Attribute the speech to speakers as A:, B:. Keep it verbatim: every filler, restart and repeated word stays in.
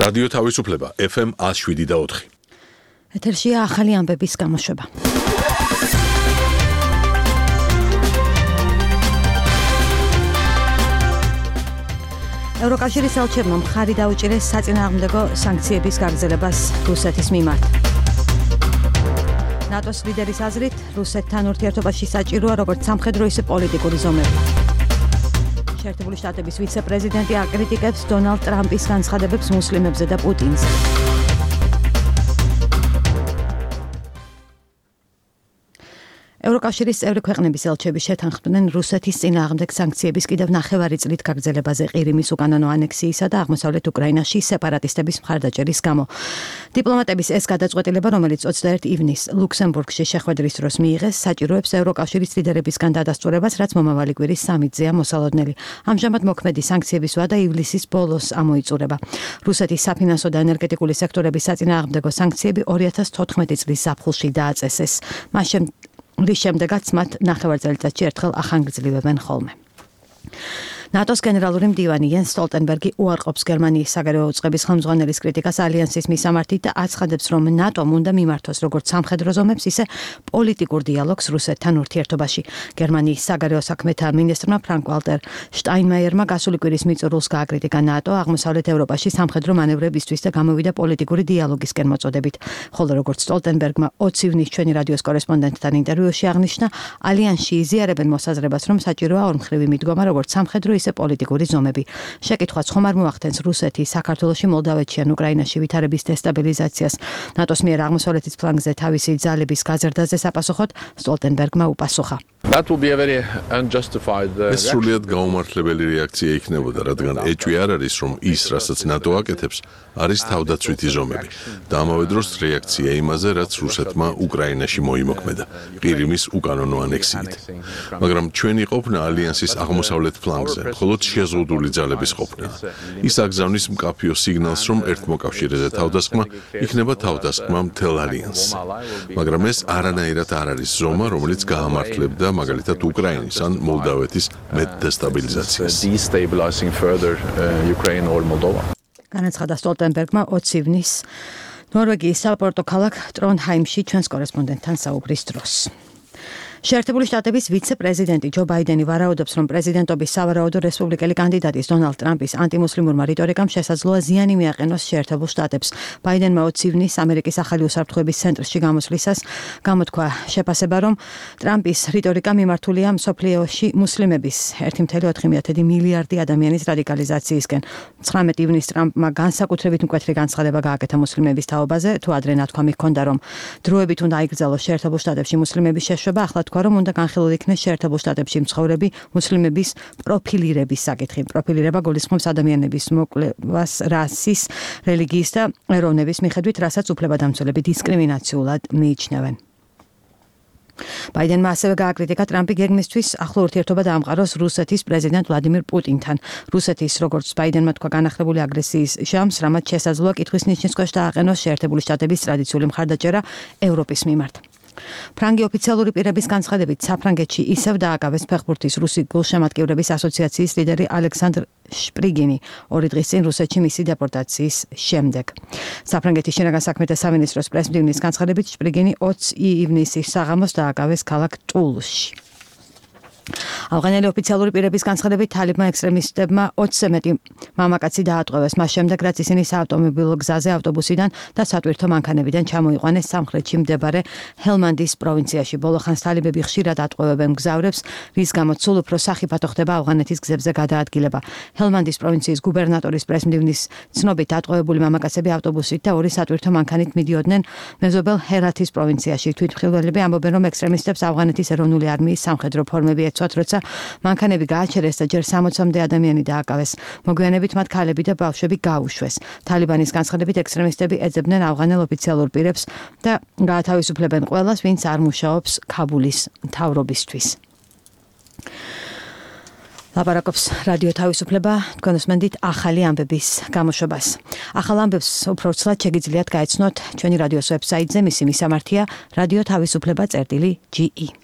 A: რადიო თავისუფლება ეფ ემ one oh seven და four.
B: ეთერშია ახალი ამბების გამოშვება. ევროკავშირის ელჩებმა მხარი დაუჭირეს საწინააღმდეგო სანქციების გაგრძელებას რუსეთის მიმართ. ნატოს ლიდერის აზრით, რუსეთთან ურთიერთობაში საჭიროა როგორც სამხედრო, ისე პოლიტიკური ზომები. შეერთებული შტატების ვიცე-პრეზიდენტი აკრიტიკებს დონალდ ტრამპის განცხადებებს მუსლიმებზე და პუტინზე. ევროკავშირის წევრი ქვეყნების ელჩები შეთანხმდნენ რუსეთის წინააღმდეგ სანქციების კიდევ ნახევარი წლით გაგრძელებაზე ყირიმის უკანონო ანექსიისა და აღმოსავლეთ უკრაინაში სეპარატისტების მხარდაჭერის გამო. დიპლომატების ეს გადაწყვეტილება, რომელიც ოცდაერთი ივნისს ლუქსემბურგში შეხვედრის დროს მიიღეს, საჭიროებს ევროკავშირის ლიდერებისგან დადასტურებას, რაც მომავალი კვირის სამითზეა მოსალოდნელი. ამჟამად მოქმედი სანქციების ვადა ივლისის ბოლოს ამოიწურება. რუსეთის საფინანსო და ენერგეტიკული სექტორების საწინააღმდეგო სანქციები ორი ათას თოთხმეტი წლის ზაფხულში დააწესეს. მას რის შემდეგაც მათ ნახევარ წელიწადში ერთხელ ახანგრძლივებენ ხოლმე. ნატოს გენერალური მდივანი იენს სტოლტენბერგი უარყოფს გერმანიის საგარეო უწყების ხელმძღვანელის კრიტიკას ალიანსის მისამართით და აცხადებს, რომ ნატომ უნდა მიმართოს როგორც სამხედრო ზომებს, ისე პოლიტიკურ დიალოგს რუსეთთან ურთიერთობაში. გერმანიის საგარეო საქმეთა მინისტრმა ფრანკ ვალტერ შტაინმაიერმა გასული კვირის მიწურულს გააკრიტიკა ნატო აღმოსავლეთ ევროპაში სამხედრო მანევრებისთვის და გამოვიდა პოლიტიკური დიალოგისკენ მოწოდებით. ხოლო როგორც სტოლტენბერგმა ოცი ივნის ჩვენი რადიოს კორესპონდენტთან ინტერვიუში აღნიშნა, ალიანსში იზიარებენ მოსაზრებას, რომ საჭიროა ორმხრივი მიდგომა როგორც სამხედრო ისე პოლიტიკური ზომები. შეკითხვაც ხომ არ მოახდენს რუსეთი საქართველოში, მოლდავეთში ან უკრაინაში ვითარების დესტაბილიზაციას. ნატოს მიერ აღმოსავლეთის ფლანგზე თავისი ძალების გაზრდაზე საპასუხოდ სტოლტენბერგმა უპასუხა.
A: ეს სრულიად გაუმართლებელი რეაქცია იქნებოდა, რადგან ეჭვი არ არის, რომ ის, რასაც ნატო აკეთებს, არის თავდაცვითი ზომები და ამავე დროს რეაქცია იმაზე, რაც რუსეთმა უკრაინაში მოიმოქმედა, ყირიმის უკანონო ანექსიით. მაგრამ ჩვენი ყოფნა ალიანსის აღმოსავლეთ ფლანგზე მხოლოდ შეზღუდული ძალების ყოფნა. ის აგზავნის მკაფიო სიგნალს, რომ ერთმოკავშირეზე თავდასხმა იქნება თავდასხმა მთელ ალიანსს. მაგრამ ეს არანაირად არ არის ზომა, რომელიც გაამართლებდა მაგალითად უკრაინის ან მოლდავეთის მეტ დესტაბილიზაციას.
B: განაცხადა სტოლტენბერგმა ოცი ივნისს ნორვეგიის საპორტო ქალაქ ტრონჰაიმში ჩვენს კორესპონდენტთან საუბრის დროს. შეერთებული შტატების ვიცე-პრეზიდენტი ჯო ბაიდენი ვარაუდობს, რომ პრეზიდენტობის სავარაუდო რესპუბლიკელი კანდიდატის დონალდ ტრამპის ანტიმუსლიმურმა რიტორიკამ შესაძლოა ზიანი მიაყენოს შეერთებულ შტატებს. ბაიდენმა ოცი ივნისს ამერიკის ახალი უსაფრთხოების ცენტრში გამოსვლისას გამოთქვა შეფასება, რომ ტრამპის რიტორიკა მიმართულია მსოფლიოში მუსლიმების ერთი კoma ოთხი მილიარდი ადამიანის რადიკალიზაციისკენ. ცხრამეტი ივნისს ტრამპმა განსაკუთრებით მკვეთრი განცხადება გააკეთა მუსლიმების თაობაზე, თუ ადრე ნათქვამი ჰქონდა, რომ დროებით უნდა აიგრძელოს შეერთებულ შტატებში მუსლიმების შეშვება, ახლა რომ უნდა განხილულ იქნეს შეერთებულ შტატებში მცხოვრები მუსლიმების პროფილირების საკითხი. პროფილირება გულისხმობს ადამიანების მოკვლევას რასის, რელიგიის და ეროვნების მიხედვით, რასაც უფლებადამცველები დისკრიმინაციულად მიიჩნევენ. ბაიდენმა ასევე გააკრიტიკა ტრამპი გეგმისთვის ახლო ურთიერთობა დაამყაროს რუსეთის პრეზიდენტ ვლადიმირ პუტინთან. რუსეთის, როგორც ბაიდენმა თქვა, განახლებული აგრესიის ჟამს, რამაც შესაძლოა კითხვის ნიშნის ქვეშ დააყენოს შეერთებული შტატების ტრადიციული მხარდაჭერა ევროპის მიმართ. ფრანგი ოფიციალური პირების განცხადებით, საფრანგეთში ისევ დააკავეს ფეხბურთის რუსი გულშემატკივრების ასოციაციის ლიდერი ალექსანდრ შპრიგინი ორი დღის წინ რუსეთში მისი დეპორტაციის შემდეგ. საფრანგეთის შინაგან საქმეთა სამინისტროს პრესმდივნის განცხადებით, შპრიგინი ოცი ივნისის საღამოს დააკავეს ქალაქ ტულუსში. ავღანელი ოფიციალური პირების განცხადებით, თალიბმა ექსტრემისტებმა ოცზე მეტი მამაკაცი დაატყვევეს, მას შემდეგ, რაც ისინი საავტომობილო გზაზე ავტობუსიდან და სატვირთო მანქანებიდან ჩამოიყვანეს სამხრეთში მდებარე ჰელმანდის პროვინციაში. ბოლო ხანს თალიბები ხშირად ატყვევებენ მგზავრებს, რის გამოც სულ უფრო სახიფათო ხდება ავღანეთის გზებზე გადაადგილება. ჰელმანდის პროვინციის გუბერნატორის პრესმდივნის ცნობით, ატყვევებული მამაკაცები ავტობუსით და ორი სატვირთო მანქანით მიდიოდნენ მეზობელ ჰერათის პროვინციაში. თვითმხილველები ამბობენ, რომ ექსტრემისტებს ავღანეთის ეროვნული არმიის სამხედრო ფორმები ეცვათ, როცა მანქანები გააჩერეს და ჯერ სამოცამდე ადამიანი დააკავეს. მოგვიანებით მათ ქალები და ბავშვები გაუშვეს. თალიბანის განცხადებით, ექსტრემისტები ეძებდნენ ავღანელ ოფიციალურ პირებს და გაათავისუფლებენ ყველას, ვინც არ მუშაობს ქაბულის მთავრობისთვის. ლაპარაკობს რადიო თავისუფლება, თქვენ უსმენთ ახალი ამბების გამოშვებას. ახალ ამბებს უფრო ცლად შეგიძლიათ გაეცნოთ ჩვენი რადიოს ვებსაიტზე, მისი მისამართია რადიო თავისუფლება წერტილი ჯი ი.